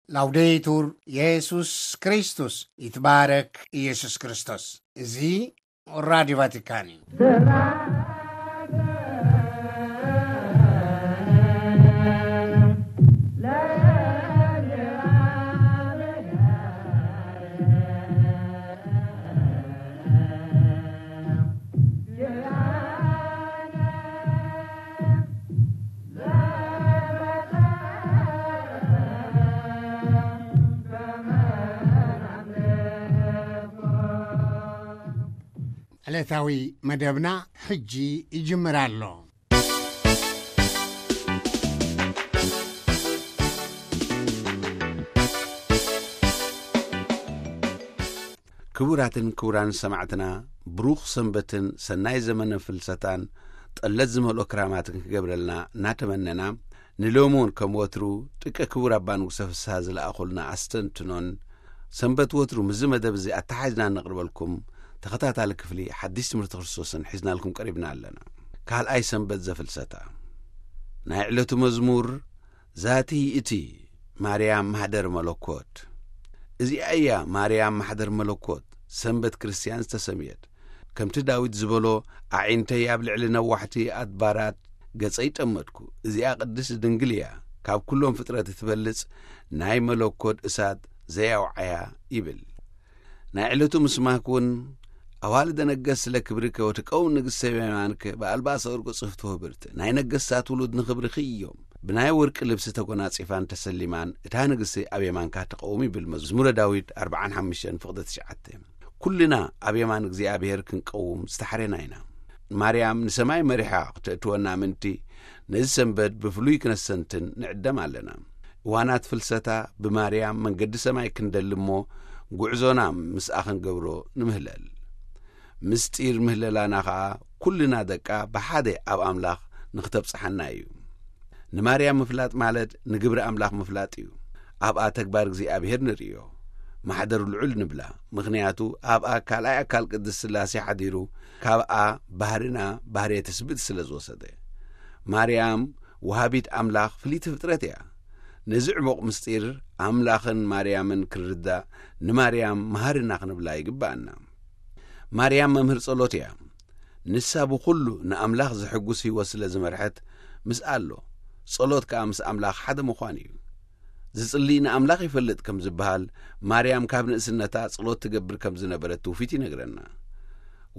ላውዴቱር የሱስ ክርስቶስ፣ ይትባረክ ኢየሱስ ክርስቶስ። እዚ ራዲዮ ቫቲካን እዩ። ዕለታዊ መደብና ሕጂ ይጅምር ኣሎ። ክቡራትን ክቡራን ሰማዕትና፣ ብሩኽ ሰንበትን ሰናይ ዘመነ ፍልሰታን ጠለት ዝመልኦ ክራማትን ክገብረልና እናተመነና፣ ንሎሚ እውን ከም ወትሩ ጥቀ ክቡር ኣባ ንጉሰ ፍስሃ ዝለኣኹልና ኣስተንትኖን፣ ሰንበት ወትሩ ምስዚ መደብ እዚ ኣተሓሒዝና እነቕርበልኩም ተኸታታሊ ክፍሊ ሓድሽ ትምህርቲ ክርስቶስን ሒዝናልኩም ቀሪብና ኣለና። ካልኣይ ሰንበት ዘፍልሰታ። ናይ ዕለቱ መዝሙር ዛቲ እቲ ማርያም ማሕደር መለኮት። እዚኣ እያ ማርያም ማሕደር መለኮት፣ ሰንበት ክርስትያን ዝተሰምየት። ከምቲ ዳዊት ዝበሎ፣ ኣዒንተይ ኣብ ልዕሊ ነዋሕቲ ኣድባራት ገጸይ ጠመትኩ። እዚኣ ቅድስቲ ድንግል እያ፣ ካብ ኩሎም ፍጥረት እትበልጽ ናይ መለኮት እሳት ዘያውዓያ ይብል። ናይ ዕለቱ ምስማክ እውን፣ ኣዋልደ ነገስ ስለ ክብርከ ወትቀውም ንግስተ በየማንከ በኣልባሰ ወርቅ ጽፍቶ ህብርት። ናይ ነገስታት ውሉድ ንኽብርኺ እዮም። ብናይ ወርቂ ልብሲ ተጎናጺፋን ተሰሊማን እታ ንግስቲ ኣብ የማንካ ትቐውም ይብል መዝሙረ ዳዊት ኣርብዓን ሓሙሽተን ፍቕደ ትሽዓተ። ኩልና ኣብ የማን እግዚኣብሔር ክንቀውም ዝተሓሬና ኢና። ማርያም ንሰማይ መሪሓ ክተእትወና ምእንቲ ነዚ ሰንበት ብፍሉይ ክነስተንትን ንዕደም ኣለና። እዋናት ፍልሰታ ብማርያም መንገዲ ሰማይ ክንደሊ እሞ፣ ጉዕዞና ምስኣ ክንገብሮ ንምህለል። ምስጢር ምህለላና ኸኣ ኩልና ደቃ ብሓደ ኣብ ኣምላኽ ንኽተብጽሓና እዩ። ንማርያም ምፍላጥ ማለት ንግብሪ ኣምላኽ ምፍላጥ እዩ። ኣብኣ ተግባር እግዚኣብሔር ንርእዮ። ማሕደር ልዑል ንብላ፣ ምኽንያቱ ኣብኣ ካልኣይ ኣካል ቅድስት ሥላሴ ሓዲሩ፣ ካብኣ ባህርና ባህርየ ትስብእቲ ስለ ዝወሰደ። ማርያም ወሃቢት ኣምላኽ ፍልይቲ ፍጥረት እያ። ነዚ ዕሙቕ ምስጢር ኣምላኽን ማርያምን ክንርዳእ፣ ንማርያም መሃርና ክንብላ ይግብኣና። ማርያም መምህር ጸሎት እያ። ንሳ ብኹሉ ንኣምላኽ ዘሐጉስ ህይወት ስለ ዝመርሐት፣ ምስኣ ኣሎ። ጸሎት ከኣ ምስ ኣምላኽ ሓደ ምዃን እዩ። ዝጽሊ ንኣምላኽ ይፈልጥ ከም ዝበሃል፣ ማርያም ካብ ንእስነታ ጸሎት ትገብር ከም ዝነበረት ትውፊት ይነግረና።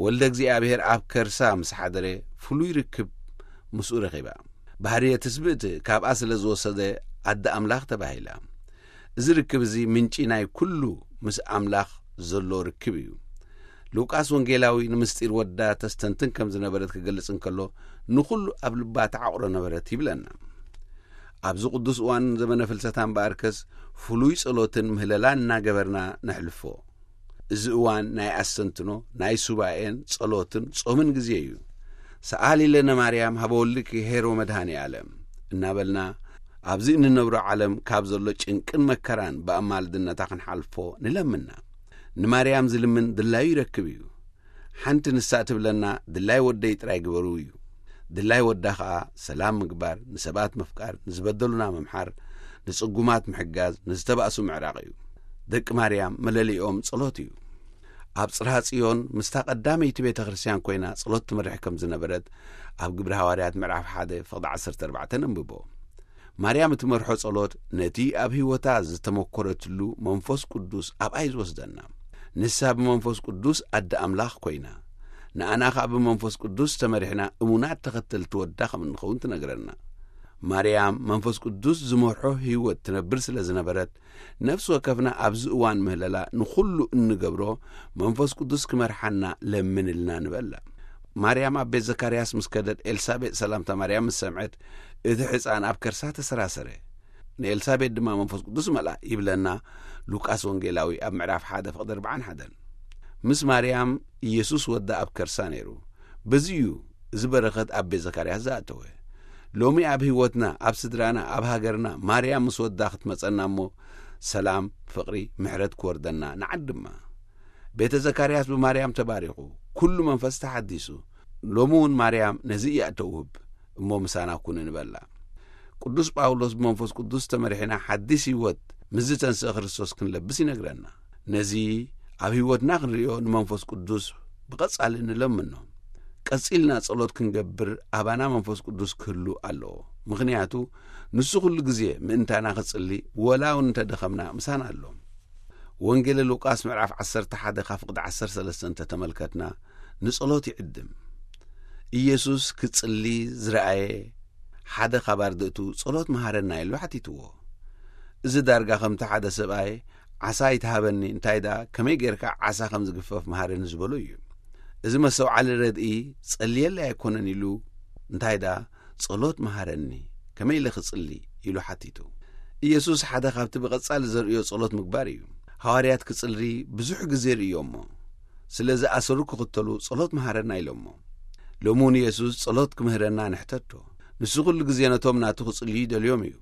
ወልደ እግዚኣብሔር ኣብ ከርሳ ምስ ሓደረ፣ ፍሉይ ርክብ ምስኡ ረኺባ። ባህርየ ትስብእቲ ካብኣ ስለ ዝወሰደ፣ ኣደ ኣምላኽ ተባሂላ። እዚ ርክብ እዚ ምንጪ ናይ ኩሉ ምስ ኣምላኽ ዘሎ ርክብ እዩ። ሉቃስ ወንጌላዊ ንምስጢር ወዳ ተስተንትን ከም ዝነበረት ክገልጽ እንከሎ፣ ንኹሉ ኣብ ልባ ተዓቑሮ ነበረት ይብለና። ኣብዚ ቅዱስ እዋን ዘመነ ፍልሰታ እምበኣርከስ፣ ፍሉይ ጸሎትን ምህለላን እናገበርና ነሕልፎ። እዚ እዋን ናይ ኣስተንትኖ፣ ናይ ሱባኤን ጸሎትን ጾምን ግዜ እዩ። ሰኣሊ ለነ ማርያም ሀበ ወልድኪ ኄር ወመድኃኔ ዓለም እናበልና፣ ኣብዚ እንነብሮ ዓለም ካብ ዘሎ ጭንቅን መከራን ብኣማልድነታ ክንሓልፎ ንለምና። ንማርያም ዝልምን ድላዩ ይረክብ እዩ። ሓንቲ ንሳ ትብለና፣ ድላይ ወደይ ጥራይ ግበሩ እዩ። ድላይ ወዳ ኸኣ ሰላም ምግባር፣ ንሰባት ምፍቃር፣ ንዝበደሉና ምምሓር፣ ንጽጉማት ምሕጋዝ፣ ንዝተባእሱ ምዕራቕ እዩ። ደቂ ማርያም መለሊኦም ጸሎት እዩ። ኣብ ጽርሃ ጽዮን ምስታ ቀዳመይቲ ቤተ ክርስቲያን ኮይና ጸሎት ትመርሕ ከም ዝነበረት ኣብ ግብሪ ሃዋርያት ምዕራፍ ሓደ ፍቕዲ ዓሰርተ ኣርባዕተ ነንብቦ። ማርያም እትመርሖ ጸሎት ነቲ ኣብ ህይወታ ዝተመኮረትሉ መንፈስ ቅዱስ ኣብኣ እዩ ዝወስደና። ንሳ ብመንፈስ ቅዱስ ኣደ ኣምላኽ ኮይና፣ ንኣና ኸኣ ብመንፈስ ቅዱስ ተመሪሕና እሙናት ተኸተልቲ ወዳ ከም እንኸውን ትነግረና። ማርያም መንፈስ ቅዱስ ዝመርሖ ህይወት ትነብር ስለ ዝነበረት፣ ነፍሲ ወከፍና ኣብዚ እዋን ምህለላ ንኹሉ እንገብሮ መንፈስ ቅዱስ ክመርሓና ለምንልና ንበላ። ማርያም ኣብ ቤት ዘካርያስ ምስ ከደት ኤልሳቤጥ ሰላምታ ማርያም ምስ ሰምዐት፣ እቲ ሕፃን ኣብ ከርሳ ተሰራሰረ። ንኤልሳቤጥ ድማ መንፈስ ቅዱስ መልኣ ይብለና ሉቃስ ወንጌላዊ ኣብ ምዕራፍ ሓደ ፍቕዲ ኣርባዓን ሓደን። ምስ ማርያም ኢየሱስ ወዳ ኣብ ከርሳ ነይሩ። በዚ እዩ እዚ በረኸት ኣብ ቤት ዘካርያስ ዝኣተወ። ሎሚ ኣብ ህይወትና፣ ኣብ ስድራና፣ ኣብ ሃገርና ማርያም ምስ ወዳ ክትመጸና እሞ ሰላም፣ ፍቕሪ፣ ምሕረት ክወርደና ንዓድማ። ቤተ ዘካርያስ ብማርያም ተባሪኹ፣ ኩሉ መንፈስ ተሓዲሱ። ሎሚ እውን ማርያም ነዚ እያ እተውህብ። እሞ ምሳና ኩኑ ንበላ። ቅዱስ ጳውሎስ ብመንፈስ ቅዱስ ተመሪሕና ሓዲስ ህይወት ምስዚ ተንስእ ክርስቶስ ክንለብስ ይነግረና። ነዚ ኣብ ህይወትና ክንርእዮ ንመንፈስ ቅዱስ ብቐጻሊ ንለምኖ። ቀጺልና ጸሎት ክንገብር ኣባና መንፈስ ቅዱስ ክህሉ ኣለዎ። ምኽንያቱ ንሱ ኩሉ ግዜ ምእንታና ክጽሊ፣ ወላ እውን እንተደኸምና ምሳና ኣሎ። ወንጌል ሉቃስ ምዕራፍ ዓሰርተ ሓደ ካብ ፍቕዲ ዓሰርተ ሰለስተ እንተተመልከትና፣ ንጸሎት ይዕድም። ኢየሱስ ክጽሊ ዝረኣየ ሓደ ካብ ኣርድእቱ፣ "ጸሎት መሃረና" ኢሉ ሓቲትዎ። እዚ ዳርጋ ከምቲ ሓደ ሰብኣይ፣ "ዓሳ ኣይትሃበኒ፣ እንታይ ደኣ ከመይ ጌርካ ዓሳ ከም ዝግፈፍ መሃረኒ" ዝበሎ እዩ። እዚ መስተውዓሊ ረድኢ፣ "ጸልየለይ ኣይኮነን" ኢሉ፣ እንታይ ደኣ "ጸሎት መሃረኒ፣ ከመይ ኢለ ክጽሊ?" ኢሉ ሓቲቱ። ኢየሱስ ሓደ ካብቲ ብቐጻሊ ዘርእዮ ጸሎት ምግባር እዩ። ሃዋርያት ክጽሊ ብዙሕ ግዜ ርእዮሞ። ስለ ዝኣሰሩ ክኽተሉ "ጸሎት መሃረና" ኢሎሞ። ሎሚ እውን ኢየሱስ ጸሎት ክምህረና ንሕተቶ። ንሱ ኩሉ ግዜ ነቶም ናቱ ክጽልዩ ይደልዮም እዩ።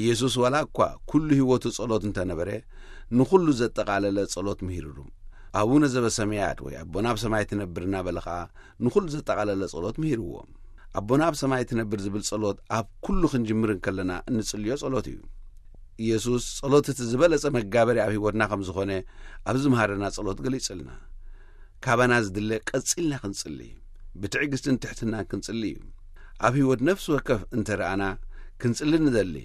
ኢየሱስ ዋላ እኳ ኩሉ ህይወቱ ጸሎት እንተነበረ፣ ንኹሉ ዘጠቓለለ ጸሎት ምሂሩሉ። "ኣቡነ ዘበሰማያት" ወይ "ኣቦና ኣብ ሰማይ ትነብር" እናበለ ኸኣ ንኹሉ ዘጠቓለለ ጸሎት ምሂርዎም። "ኣቦና ኣብ ሰማይ ትነብር" ዝብል ጸሎት ኣብ ኩሉ ክንጅምር እንከለና እንጽልዮ ጸሎት እዩ። ኢየሱስ ጸሎት እቲ ዝበለጸ መጋበሪ ኣብ ህይወትና ከም ዝኾነ ኣብዚ ዝምሃረና ጸሎት ገሊጽልና። ካባና ዝድለ ቀጺልና ክንጽሊ፣ ብትዕግስትን ትሕትናን ክንጽሊ እዩ። ኣብ ህይወት ነፍሲ ወከፍ እንተ ረኣና ክንጽሊ ንደሊ፣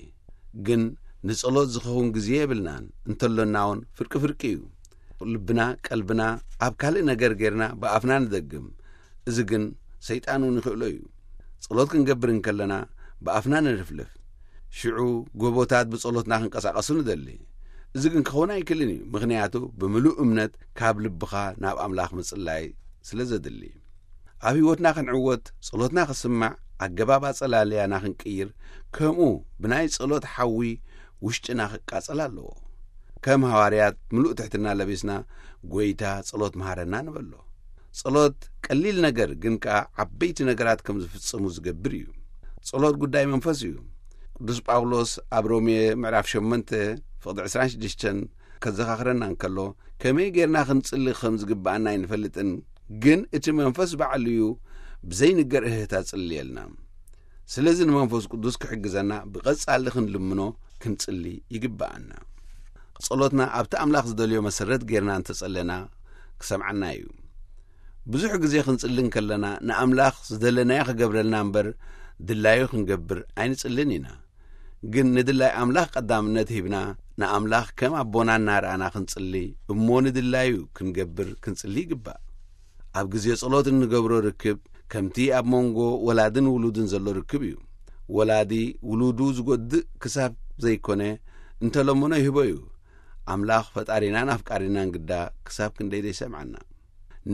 ግን ንጸሎት ዝኸውን ግዜ የብልናን፣ እንተሎና እውን ፍርቂ ፍርቂ እዩ። ልብና፣ ቀልብና ኣብ ካልእ ነገር ጌርና ብኣፍና ንደግም። እዚ ግን ሰይጣን እውን ይኽእሎ እዩ። ጸሎት ክንገብር እንከለና ብኣፍና ንልፍልፍ። ሽዑ ጎቦታት ብጸሎትና ክንቀሳቐሱ ንደሊ። እዚ ግን ክኸውን ኣይክእልን እዩ፣ ምኽንያቱ ብምሉእ እምነት ካብ ልብኻ ናብ ኣምላኽ ምጽላይ ስለ ዘድሊ። ኣብ ህይወትና ክንዕወት፣ ጸሎትና ክስማዕ፣ ኣገባብ ኣጸላልያና ክንቅይር፣ ከምኡ ብናይ ጸሎት ሓዊ ውሽጥና ክቃጸል ኣለዎ። ከም ሃዋርያት ምሉእ ትሕትና ለቢስና፣ "ጐይታ፣ ጸሎት መሃረና" ንበሎ። ጸሎት ቀሊል ነገር ግን ከኣ ዓበይቲ ነገራት ከም ዝፍጽሙ ዝገብር እዩ። ጸሎት ጉዳይ መንፈስ እዩ። ቅዱስ ጳውሎስ ኣብ ሮሜ ምዕራፍ ሸሞንተ ፍቕዲ ዕስራን ሽዱሽተን ከዘኻኽረና እንከሎ፣ ከመይ ጌርና ክንጽሊ ከም ዝግብኣና ኣይንፈልጥን፣ ግን እቲ መንፈስ ባዕሉ እዩ ብዘይንገር እህህታ ዝጽልየልና። ስለዚ ንመንፈስ ቅዱስ ክሕግዘና ብቐጻሊ ክንልምኖ ክንጽሊ ይግብኣና። ጸሎትና ኣብቲ ኣምላኽ ዝደልዮ መሰረት ጌርና እንተጸለና ክሰምዓና እዩ። ብዙሕ ግዜ ክንጽሊ እንከለና ንኣምላኽ ዝደለናዮ ክገብረልና እምበር ድላዩ ክንገብር ኣይንጽልን ኢና። ግን ንድላይ ኣምላኽ ቀዳምነት ሂብና ንኣምላኽ ከም ኣቦና እናረኣና ክንጽሊ እሞ ንድላዩ ክንገብር ክንጽሊ ይግባእ። ኣብ ግዜ ጸሎት እንገብሮ ርክብ ከምቲ ኣብ መንጎ ወላድን ውሉድን ዘሎ ርክብ እዩ። ወላዲ ውሉዱ ዝጎድእ ክሳብ ዘይኮነ እንተለመኖ ይህቦ እዩ። ኣምላኽ ፈጣሪናን ኣፍቃሪናን ግዳ ክሳብ ክንደይ ዘይሰምዓና።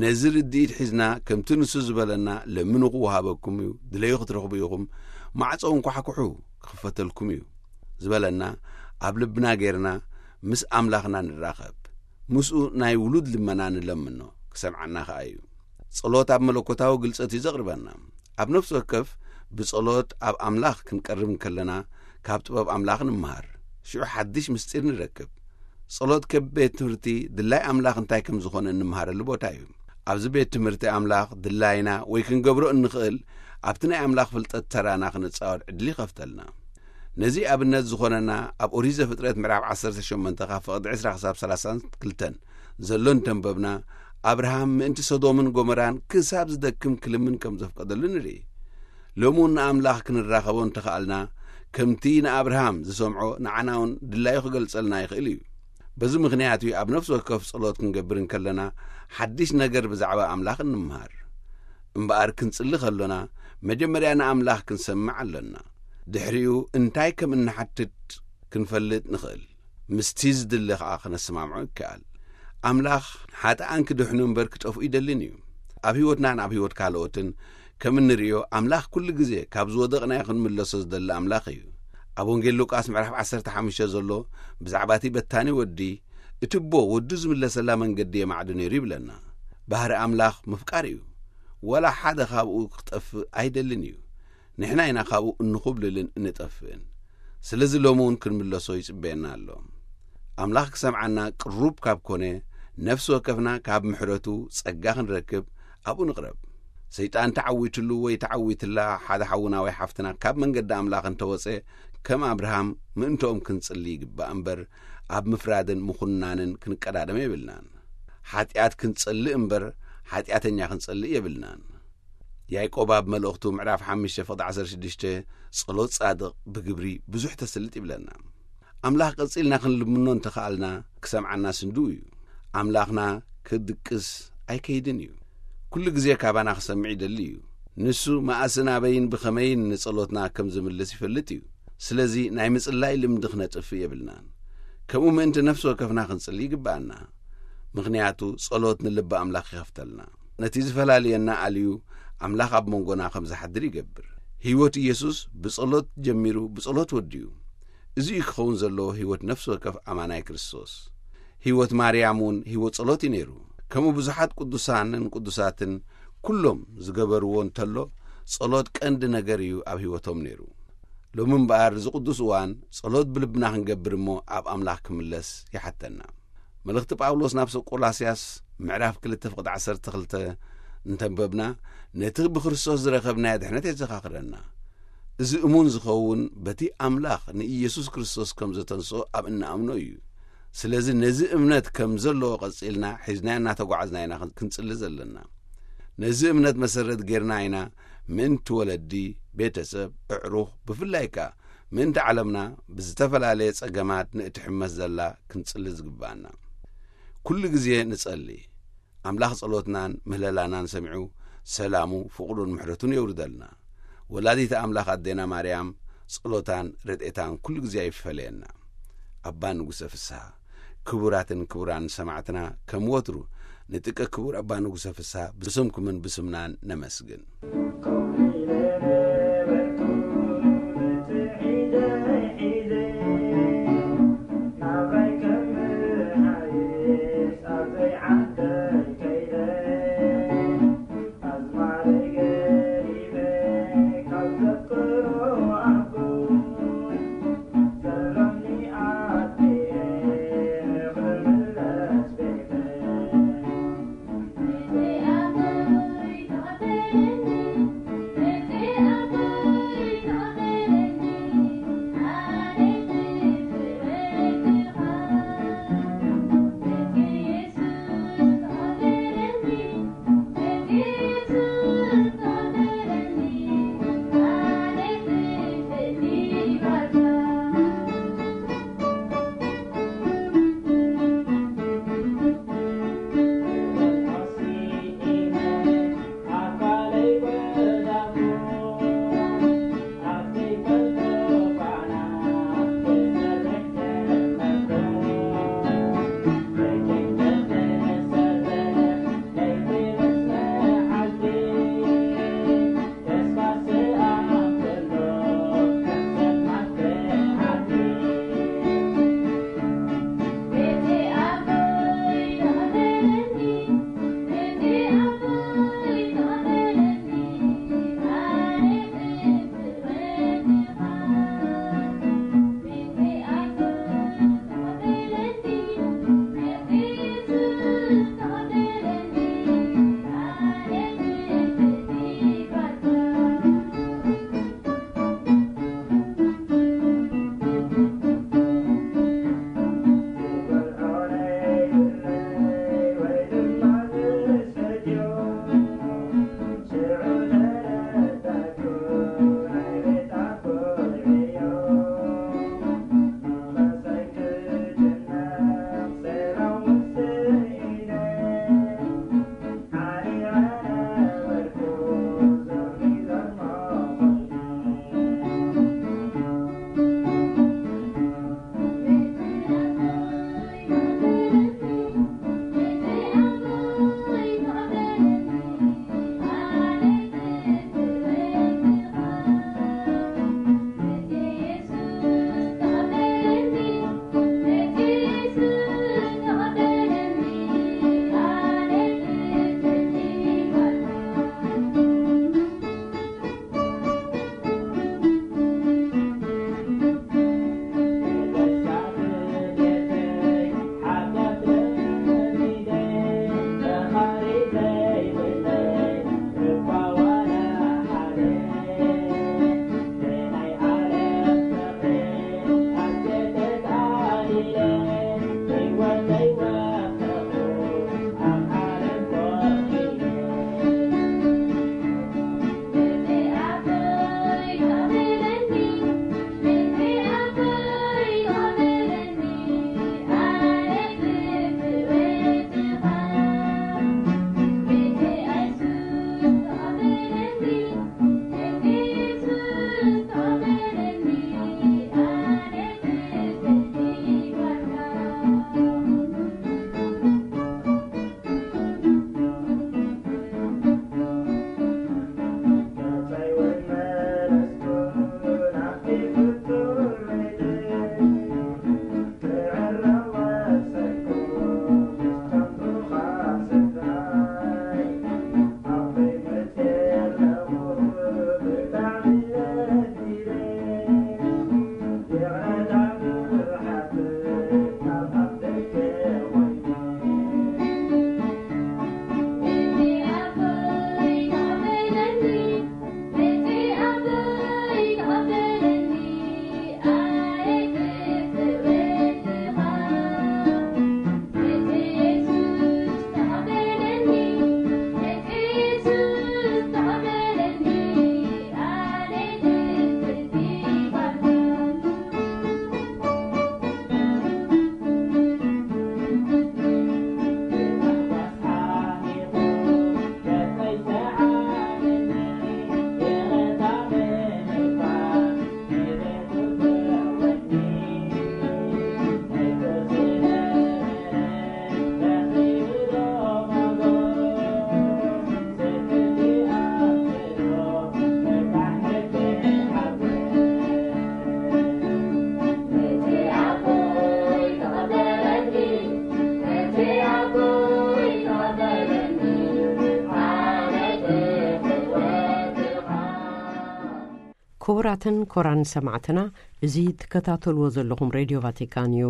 ነዚ ርድኢት ሒዝና ከምቲ ንሱ ዝበለና ለምኑ ክወሃበኩም እዩ፣ ድለዩ ክትረኽቡ ኢኹም፣ ማዕጾ እንኳሕኩሑ ክኽፈተልኩም እዩ ዝበለና ኣብ ልብና ጌርና ምስ ኣምላኽና ንራኸብ። ምስኡ ናይ ውሉድ ልመና ንለምኖ፣ ክሰምዓና ከኣ እዩ። ጸሎት ኣብ መለኮታዊ ግልጸት እዩ ዘቕርበና። ኣብ ነፍሲ ወከፍ ብጸሎት ኣብ ኣምላኽ ክንቀርብ እንከለና ካብ ጥበብ ኣምላኽ ንምሃር። ሽዑ ሓድሽ ምስጢር ንረክብ። ጸሎት ከም ቤት ትምህርቲ ድላይ ኣምላኽ እንታይ ከም ዝኾነ እንምሃረሉ ቦታ እዩ። ኣብዚ ቤት ትምህርቲ ኣምላኽ ድላይና ወይ ክንገብሮ እንኽእል ኣብቲ ናይ ኣምላኽ ፍልጠት ተራና ክንጻወት ዕድል ይኸፍተልና። ነዚ ኣብነት ዝኾነና ኣብ ኦሪት ዘፍጥረት ምዕራፍ ዓሰርተ ሸሞንተ ካብ ፍቕዲ ዕስራ ክሳብ ሰላሳን ክልተን ዘሎ እንተንበብና፣ ኣብርሃም ምእንቲ ሰዶምን ጎመራን ክሳብ ዝደክም ክልምን ከም ዘፍቀደሉ ንርኢ። ሎሚ እውን ንኣምላኽ ክንራኸቦ እንተኸኣልና፣ ከምቲ ንኣብርሃም ዝሰምዖ ንዓና እውን ድላዩ ክገልጸልና ይኽእል እዩ። በዚ ምኽንያት እዩ ኣብ ነፍሲ ወከፍ ጸሎት ክንገብር እንከለና ሓድሽ ነገር ብዛዕባ ኣምላኽ እንምሃር። እምበኣር ክንጽሊ ከሎና መጀመርያ ንኣምላኽ ክንሰምዕ ኣሎና። ድሕሪኡ እንታይ ከም እንሓትት ክንፈልጥ ንኽእል። ምስቲ ዝድለ ኸኣ ክነሰማምዖ ይከኣል። ኣምላኽ ሓጥኣን ክድሕኑ እምበር ክጠፍኡ ይደልን እዩ። ኣብ ህይወትናን ኣብ ህይወት ካልኦትን ከም እንርእዮ ኣምላኽ ኩሉ ግዜ ካብ ዝወደቕናዮ ክንምለሶ ዝደሊ ኣምላኽ እዩ። ኣብ ወንጌል ሉቃስ ምዕራፍ ዓሰርተ ሓሙሽተ ዘሎ ብዛዕባ እቲ በታኒ ወዲ፣ እቲ ኣቦ ወዱ ዝምለሰላ መንገዲ የማዕዱ ነይሩ ይብለና። ባህሪ ኣምላኽ ምፍቃር እዩ። ወላ ሓደ ካብኡ ክጠፍእ ኣይደልን እዩ። ንሕና ኢና ካብኡ እንኹብልልን እንጠፍእን። ስለዚ ሎሚ እውን ክንምለሶ ይጽበየና ኣሎ። ኣምላኽ ክሰምዓና ቅሩብ ካብ ኮነ፣ ነፍሲ ወከፍና ካብ ምሕረቱ ጸጋ ክንረክብ ኣብኡ ንቕረብ። ሰይጣን ተዓዊትሉ ወይ ተዓዊትላ ሓደ ሓውና ወይ ሓፍትና ካብ መንገዲ ኣምላኽ እንተወጸ፣ ከም ኣብርሃም ምእንትኦም ክንጽሊ ይግባእ እምበር፣ ኣብ ምፍራድን ምኹናንን ክንቀዳደም የብልናን። ሓጢኣት ክንጸልእ እምበር፣ ሓጢኣተኛ ክንጸልእ የብልናን። ያዕቆብ ኣብ መልእኽቱ ምዕራፍ ሓሙሽተ ፍቕዲ ዓሰርተ ሽዱሽተ፣ "ጸሎት ጻድቕ ብግብሪ ብዙሕ ተስልጥ" ይብለና። ኣምላኽ ቀጺልና ክንልምኖ እንተኸኣልና፣ ክሰምዓና ስንድው እዩ። ኣምላኽና ክድቅስ ኣይከይድን እዩ። ኩሉ ግዜ ካባና ክሰምዕ ይደሊ እዩ። ንሱ መኣስን ኣበይን ብኸመይን ንጸሎትና ከም ዝምልስ ይፈልጥ እዩ። ስለዚ ናይ ምጽላይ ልምዲ ክነጥፍእ የብልናን። ከምኡ ምእንቲ ነፍሲ ወከፍና ክንጽሊ ይግብኣና። ምኽንያቱ ጸሎት ንልቢ ኣምላኽ ይኸፍተልና። ነቲ ዝፈላልየና ኣልዩ ኣምላኽ ኣብ መንጎና ከም ዝሓድር ይገብር። ህይወት ኢየሱስ ብጸሎት ጀሚሩ ብጸሎት ወዲኡ። እዚ እዩ ክኸውን ዘለዎ ህይወት ነፍሲ ወከፍ ኣማናይ ክርስቶስ። ህይወት ማርያም እውን ህይወት ጸሎት እዩ ነይሩ። ከምኡ ብዙሓት ቅዱሳንን ቅዱሳትን ኩሎም ዝገበርዎ እንተሎ፣ ጸሎት ቀንዲ ነገር እዩ ኣብ ህይወቶም ነይሩ። ሎሚ እምበኣር እዚ ቅዱስ እዋን ጸሎት ብልብና ክንገብር እሞ ኣብ ኣምላኽ ክምለስ ይሓተና። መልእኽቲ ጳውሎስ ናብ ሰብ ቆላስያስ ምዕራፍ ክልተ ፍቕዲ ዓሰርተ ክልተ እንተንበብና፣ ነቲ ብክርስቶስ ዝረኸብናዮ ድሕነት የዘኻኽረና። እዚ እሙን ዝኸውን በቲ ኣምላኽ ንኢየሱስ ክርስቶስ ከም ዘተንስኦ ኣብ እንኣምኖ እዩ። ስለዚ ነዚ እምነት ከም ዘለዎ ቀጺልና ሒዝናዮ እናተጓዓዝና ኢና ክንጽሊ ዘለና። ነዚ እምነት መሰረት ጌርና ኢና ምእንቲ ወለዲ፣ ቤተሰብ፣ ኣዕሩኽ፣ ብፍላይ ከኣ ምእንቲ ዓለምና ብዝተፈላለየ ጸገማት ንእትሕመስ ዘላ ክንጽሊ ዝግብኣና። ኩሉ ግዜ ንጸሊ። ኣምላኽ ጸሎትናን ምህለላናን ሰሚዑ ሰላሙ፣ ፍቕሩን ምሕረቱን የውርደልና። ወላዲተ ኣምላኽ ኣዴና ማርያም ጸሎታን ረድኤታን ኩሉ ግዜ ኣይፈለየና። ኣባ ንጉሰ ፍስሃ። ክቡራትን ክቡራን ሰማዕትና፣ ከም ወትሩ ንጥቀ ክቡር ኣባ ንጉሰ ፍስሃ ብስምኩምን ብስምናን ነመስግን። ክቡራትን ክቡራን ሰማዕትና፣ እዚ ትከታተልዎ ዘለኹም ሬድዮ ቫቲካን እዩ።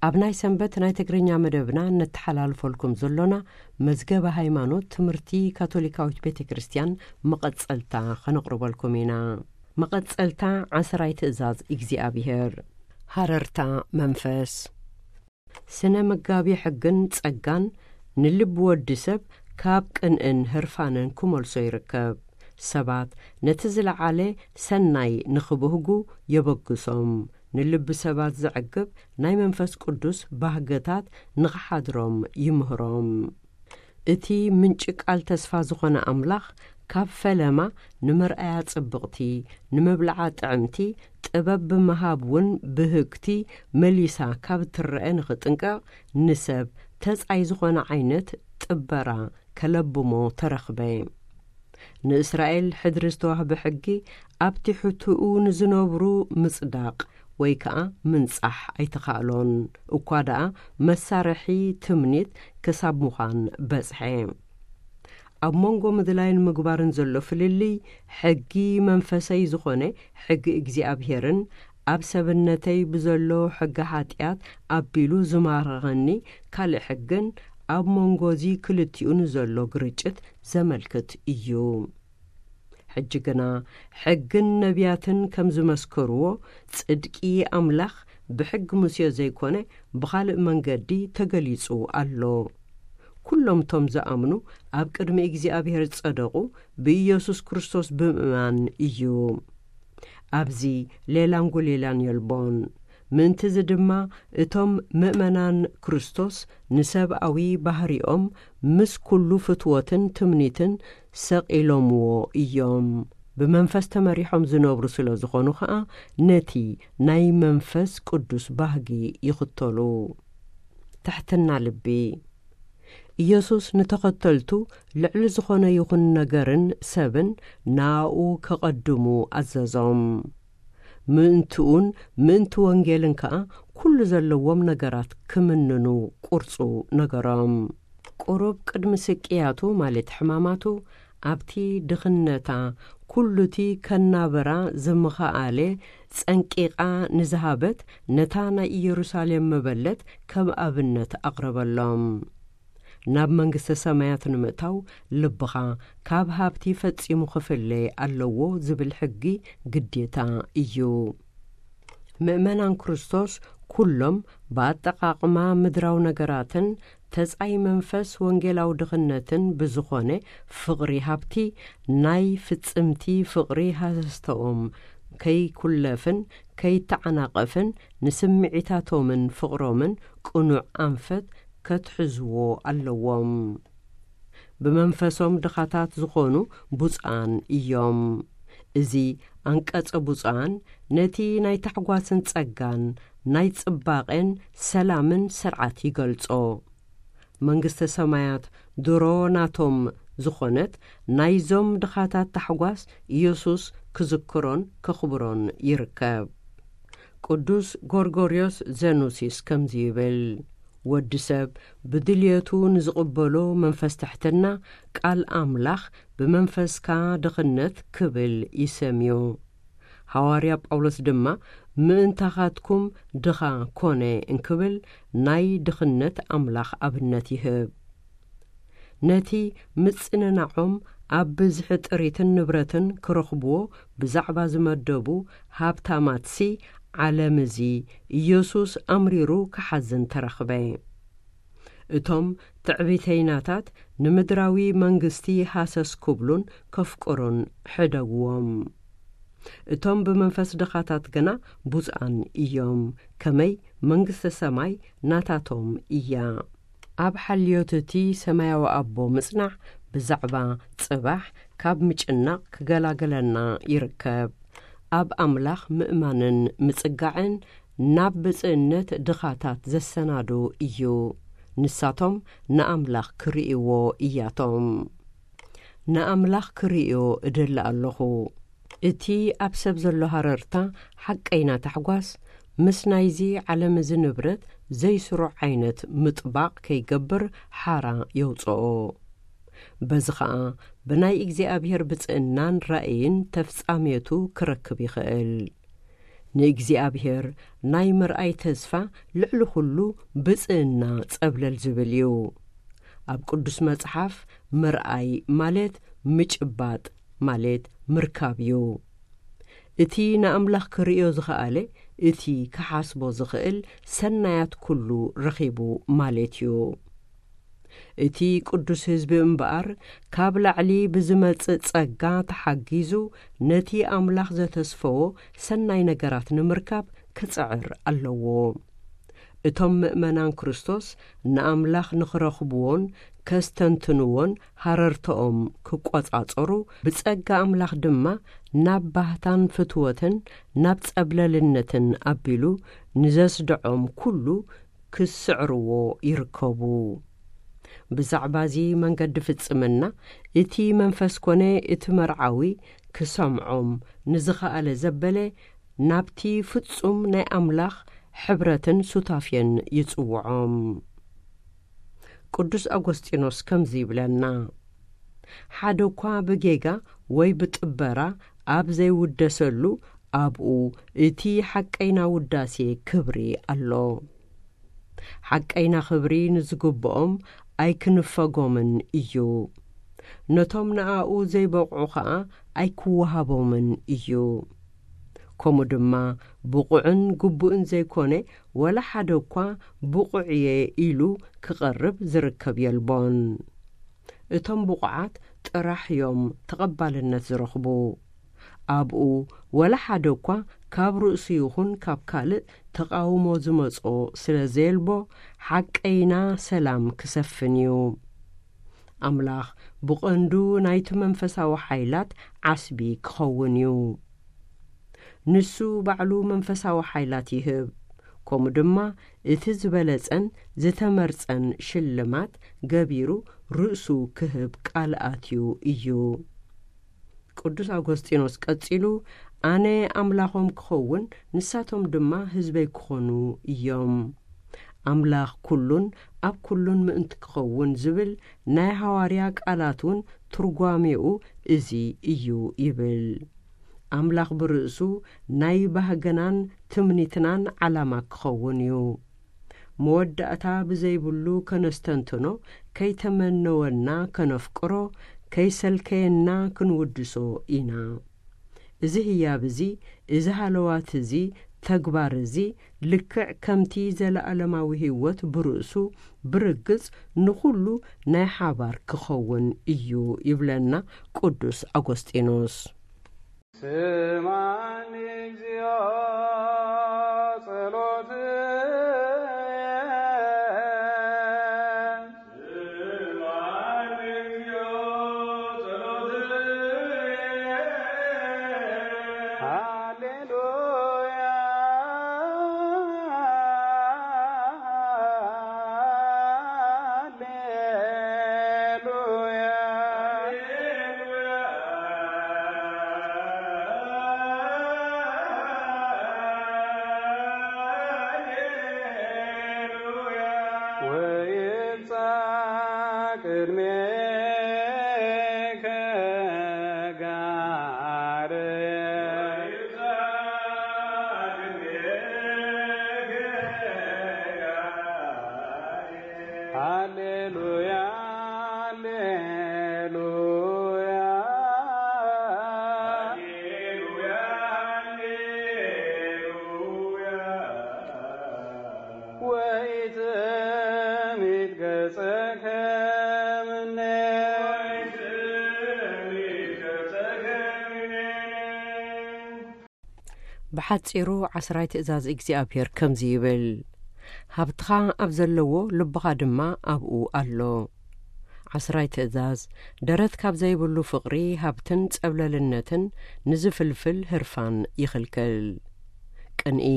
ኣብ ናይ ሰንበት ናይ ትግርኛ መደብና ነተሓላልፈልኩም ዘሎና መዝገበ ሃይማኖት ትምህርቲ ካቶሊካዊት ቤተ ክርስቲያን መቐጸልታ ኸነቕርበልኩም ኢና። መቐጸልታ ዓስራይ ትእዛዝ እግዚኣብሔር። ሃረርታ መንፈስ። ስነ መጋቢ ሕግን ጸጋን ንልቢ ወዲ ሰብ ካብ ቅንእን ህርፋንን ክመልሶ ይርከብ። ሰባት ነቲ ዝለዓለ ሰናይ ንኽብህጉ የበግሶም። ንልቢ ሰባት ዘዕግብ ናይ መንፈስ ቅዱስ ባህግታት ንኽሓድሮም ይምህሮም። እቲ ምንጪ ቃል ተስፋ ዝኾነ ኣምላኽ፣ ካብ ፈለማ ንመርኣያ ጽብቕቲ፣ ንመብልዓ ጥዕምቲ፣ ጥበብ ብምሃብ እውን ብህግቲ መሊሳ ካብ እትረአ ንኽጥንቀቕ፣ ንሰብ ተጻይ ዝኾነ ዓይነት ጥበራ ከለብሞ ተረኽበ። ንእስራኤል ሕድሪ ዝተዋህበ ሕጊ ኣብ ትሕትኡ ንዝነብሩ ምጽዳቕ ወይ ከኣ ምንጻሕ ኣይተኻእሎን። እኳ ደኣ መሳርሒ ትምኒት ክሳብ ምዃን በጽሐ። ኣብ መንጎ ምድላይን ምግባርን ዘሎ ፍልልይ፣ ሕጊ መንፈሰይ ዝኾነ ሕጊ እግዚኣብሄርን ኣብ ሰብነተይ ብዘሎ ሕጊ ሓጢኣት ኣቢሉ ዝማረኸኒ ካልእ ሕግን ኣብ መንጎ እዚ ክልቲኡ ንዘሎ ግርጭት ዘመልክት እዩ። ሕጂ ግና ሕግን ነቢያትን ከም ዝመስከርዎ፣ ጽድቂ ኣምላኽ ብሕጊ ሙሴ ዘይኮነ ብኻልእ መንገዲ ተገሊጹ ኣሎ። ኩሎም እቶም ዝኣምኑ ኣብ ቅድሚ እግዚኣብሔር ዝጸደቑ ብኢየሱስ ክርስቶስ ብምእማን እዩ። ኣብዚ ሌላን ጐሌላን የልቦን። ምእንቲ እዚ ድማ እቶም ምእመናን ክርስቶስ ንሰብኣዊ ባህሪኦም ምስ ኩሉ ፍትወትን ትምኒትን ሰቒሎምዎ እዮም። ብመንፈስ ተመሪሖም ዝነብሩ ስለ ዝኾኑ ኸኣ ነቲ ናይ መንፈስ ቅዱስ ባህጊ ይኽተሉ። ትሕትና ልቢ። ኢየሱስ ንተኸተልቱ ልዕሊ ዝኾነ ይኹን ነገርን ሰብን ናኡ ከቐድሙ ኣዘዞም። ምእንትኡን ምእንቲ ወንጌልን ከኣ ኩሉ ዘለዎም ነገራት ክምንኑ ቁርጹ ነገሮም። ቁሩብ ቅድሚ ስቅያቱ፣ ማለት ሕማማቱ፣ ኣብቲ ድኽነታ ኩሉቲ ከናብራ ዝምኸኣለ ጸንቂቓ ንዝሃበት ነታ ናይ ኢየሩሳሌም መበለት ከም ኣብነት ኣቕረበሎም። ናብ መንግስተ ሰማያት ንምእታው ልብኻ ካብ ሃብቲ ፈጺሙ ክፍለ ኣለዎ ዝብል ሕጊ ግዴታ እዩ። ምእመናን ክርስቶስ ኩሎም ብኣጠቓቕማ ምድራዊ ነገራትን ተጻይ መንፈስ ወንጌላዊ ድኽነትን ብዝኾነ ፍቕሪ ሃብቲ ናይ ፍጽምቲ ፍቕሪ ሃሰስተኦም ከይኩለፍን ከይተዓናቐፍን ንስምዒታቶምን ፍቕሮምን ቅኑዕ ኣንፈት ከትሕዝዎ ኣለዎም። ብመንፈሶም ድኻታት ዝኾኑ ብፁዓን እዮም። እዚ ኣንቀጸ ብፁዓን ነቲ ናይ ታሕጓስን ጸጋን፣ ናይ ጽባቐን ሰላምን ስርዓት ይገልጾ። መንግስተ ሰማያት ድሮ ናቶም ዝኾነት ናይዞም ድኻታት ታሕጓስ ኢየሱስ ክዝክሮን ከኽብሮን ይርከብ። ቅዱስ ጎርጎርዮስ ዘኑሲስ ከምዚ ይብል፣ ወዲ ሰብ ብድልየቱ ንዝቕበሎ መንፈስ ትሕትና፣ ቃል ኣምላኽ ብመንፈስካ ድኽነት ክብል ይሰምዮ። ሃዋርያ ጳውሎስ ድማ፣ ምእንታኻትኩም ድኻ ኮነ እንክብል ናይ ድኽነት ኣምላኽ ኣብነት ይህብ። ነቲ ምጽንናዖም ኣብ ብዝሒ ጥሪትን ንብረትን ክረኽብዎ ብዛዕባ ዝመደቡ ሃብታማትሲ፣ ዓለም እዚ ኢየሱስ ኣምሪሩ ክሓዝን ተረኽበ። እቶም ትዕቢተይናታት ንምድራዊ መንግስቲ ሃሰስ ክብሉን ከፍቅሩን ሕደግዎም። እቶም ብመንፈስ ድኻታት ግና ብፁዓን እዮም፣ ከመይ መንግስተ ሰማይ ናታቶም እያ። ኣብ ሓልዮት እቲ ሰማያዊ ኣቦ ምጽናዕ ብዛዕባ ጽባሕ ካብ ምጭናቕ ክገላግለና ይርከብ። ኣብ ኣምላኽ ምእማንን ምጽጋዕን ናብ ብጽእነት ድኻታት ዘሰናዱ እዩ። ንሳቶም ንኣምላኽ ክርእይዎ እያቶም። ንኣምላኽ ክርእዮ እደሊ ኣለኹ። እቲ ኣብ ሰብ ዘሎ ሃረርታ ሓቀይና ታሕጓስ ምስ ናይዚ ዓለም እዚ ንብረት ዘይስሩዕ ዓይነት ምጥባቕ ከይገብር ሓራ የውጽኦ። በዚ ኸኣ ብናይ እግዚኣብሔር ብጽእናን ራእይን ተፍጻሜቱ ክረክብ ይኽእል። ንእግዚኣብሔር ናይ ምርኣይ ተስፋ ልዕሊ ኩሉ ብጽእና ጸብለል ዝብል እዩ። ኣብ ቅዱስ መጽሓፍ ምርኣይ ማለት ምጭባጥ ማለት ምርካብ እዩ። እቲ ንኣምላኽ ክርእዮ ዝኸኣለ፣ እቲ ክሓስቦ ዝኽእል ሰናያት ኩሉ ረኺቡ ማለት እዩ። እቲ ቅዱስ ህዝቢ እምበኣር፣ ካብ ላዕሊ ብዝመጽእ ጸጋ ተሓጊዙ፣ ነቲ ኣምላኽ ዘተስፈዎ ሰናይ ነገራት ንምርካብ ክጽዕር ኣለዎ። እቶም ምእመናን ክርስቶስ ንኣምላኽ ንኽረኽብዎን ከስተንትንዎን ሃረርተኦም ክቆጻጸሩ፣ ብጸጋ ኣምላኽ ድማ ናብ ባህታን ፍትወትን ናብ ጸብለልነትን ኣቢሉ ንዘስድዖም ኩሉ ክስዕርዎ ይርከቡ። ብዛዕባ እዚ መንገዲ ፍጽምና፣ እቲ መንፈስ ኮነ እቲ መርዓዊ ክሰምዖም ንዝኸኣለ ዘበለ፣ ናብቲ ፍጹም ናይ ኣምላኽ ሕብረትን ሱታፌን ይጽውዖም። ቅዱስ ኣጎስጢኖስ ከምዚ ይብለና፣ ሓደ እኳ ብጌጋ ወይ ብጥበራ ኣብ ዘይውደሰሉ፣ ኣብኡ እቲ ሓቀይና ውዳሴ ክብሪ ኣሎ። ሓቀይና ክብሪ ንዝግብኦም ኣይክንፈጎምን እዩ። ነቶም ንኣኡ ዘይበቕዑ ኸኣ ኣይክወሃቦምን እዩ። ከምኡ ድማ ብቑዕን ግቡእን ዘይኮነ፣ ወላ ሓደ እኳ ብቑዕ እየ ኢሉ ክቐርብ ዝርከብ የልቦን። እቶም ብቑዓት ጥራሕ እዮም ተቐባልነት ዝረኽቡ። ኣብኡ ወላ ሓደ እኳ ካብ ርእሱ ይኹን ካብ ካልእ ተቓውሞ ዝመጾ ስለ ዘየልቦ፣ ሓቀይና ሰላም ክሰፍን እዩ። ኣምላኽ ብቐንዱ ናይቲ መንፈሳዊ ሓይላት ዓስቢ ክኸውን እዩ። ንሱ ባዕሉ መንፈሳዊ ሓይላት ይህብ፣ ከምኡ ድማ እቲ ዝበለጸን ዝተመርጸን ሽልማት ገቢሩ ርእሱ ክህብ ቃል ኣትዩ እዩ። ቅዱስ ኣጎስጢኖስ ቀጺሉ፣ ኣነ ኣምላኾም ክኸውን፣ ንሳቶም ድማ ህዝበይ ክኾኑ እዮም። ኣምላኽ ኩሉን ኣብ ኩሉን ምእንቲ ክኸውን ዝብል ናይ ሃዋርያ ቃላት እውን ትርጓሜኡ እዚ እዩ ይብል። ኣምላኽ ብርእሱ ናይ ባህግናን ትምኒትናን ዓላማ ክኸውን እዩ። መወዳእታ ብዘይብሉ ከነስተንትኖ፣ ከይተመነወና ከነፍቅሮ፣ ከይሰልከየና ክንውድሶ ኢና። እዚ ህያብ እዚ፣ እዚ ሃለዋት እዚ፣ ተግባር እዚ፣ ልክዕ ከምቲ ዘለኣለማዊ ህይወት ብርእሱ ብርግጽ ንኹሉ ናይ ሓባር ክኸውን እዩ ይብለና ቅዱስ ኣጎስጢኖስ። ስማኒ እግዚኦ ጸሎትየ። ስማኒ እግዚኦ ጸሎትየ። ሃሌሉያ፣ ሃሌሉያ። ወይብጻሕ ቅድሜከ ጋር። ሃሌሉያ፣ ሃሌሉያ። ወኢትሚት ገጸከ ምኔ። ብሓጺሩ ዓስራይ ትእዛዝ እግዚኣብሔር ከምዚ ይብል፣ ሃብትኻ ኣብ ዘለዎ ልብኻ ድማ ኣብኡ ኣሎ። ዓስራይ ትእዛዝ፣ ደረት ካብ ዘይብሉ ፍቕሪ፣ ሃብትን ጸብለልነትን ንዝፍልፍል ህርፋን ይኽልክል። ቅንኢ፣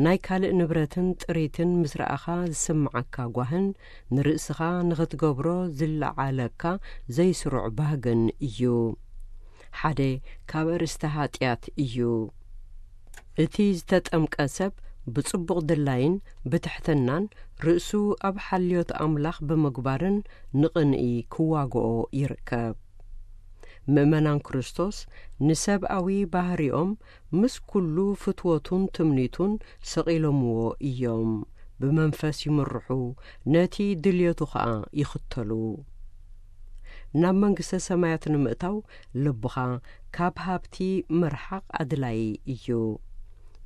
ናይ ካልእ ንብረትን ጥሪትን ምስ ረኣኻ ዝስምዓካ ጓህን ንርእስኻ ንኽትገብሮ ዝለዓለካ ዘይስሩዕ ባህግን እዩ። ሓደ ካብ ኣርእስቲ ኃጢኣት እዩ። እቲ ዝተጠምቀ ሰብ ብጽቡቕ ድላይን ብትሕትናን ርእሱ ኣብ ሓልዮት ኣምላኽ ብምግባርን ንቕንኢ ክዋግኦ ይርከብ። ምእመናን ክርስቶስ ንሰብኣዊ ባህሪኦም ምስ ኩሉ ፍትወቱን ትምኒቱን ሰቒሎምዎ እዮም። ብመንፈስ ይምርሑ፣ ነቲ ድልየቱ ኸኣ ይኽተሉ። ናብ መንግስተ ሰማያት ንምእታው ልብኻ ካብ ሃብቲ ምርሓቕ ኣድላዪ እዩ።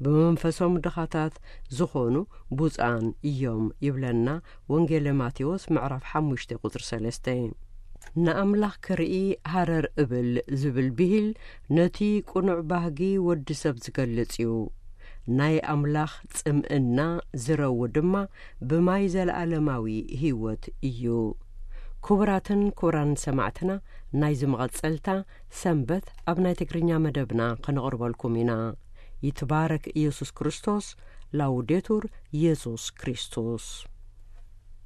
ብመንፈሶም ድኻታት ዝኾኑ ብፁዓን እዮም ይብለና ወንጌለ ማቴዎስ ምዕራፍ ሓሙሽተ ቁጽሪ ሰለስተ። ንኣምላኽ ክርኢ ሃረር እብል ዝብል ብሂል ነቲ ቅኑዕ ባህጊ ወዲ ሰብ ዝገልጽ እዩ። ናይ ኣምላኽ ጽምእና ዝረዊ ድማ ብማይ ዘለኣለማዊ ህይወት እዩ። ክቡራትን ክቡራን ሰማዕትና፣ ናይዚ መቐጸልታ ሰንበት ኣብ ናይ ትግርኛ መደብና ከነቕርበልኩም ኢና። ይትባረክ ኢየሱስ ክርስቶስ። ላውዴቱር ኢየሱስ ክርስቶስ።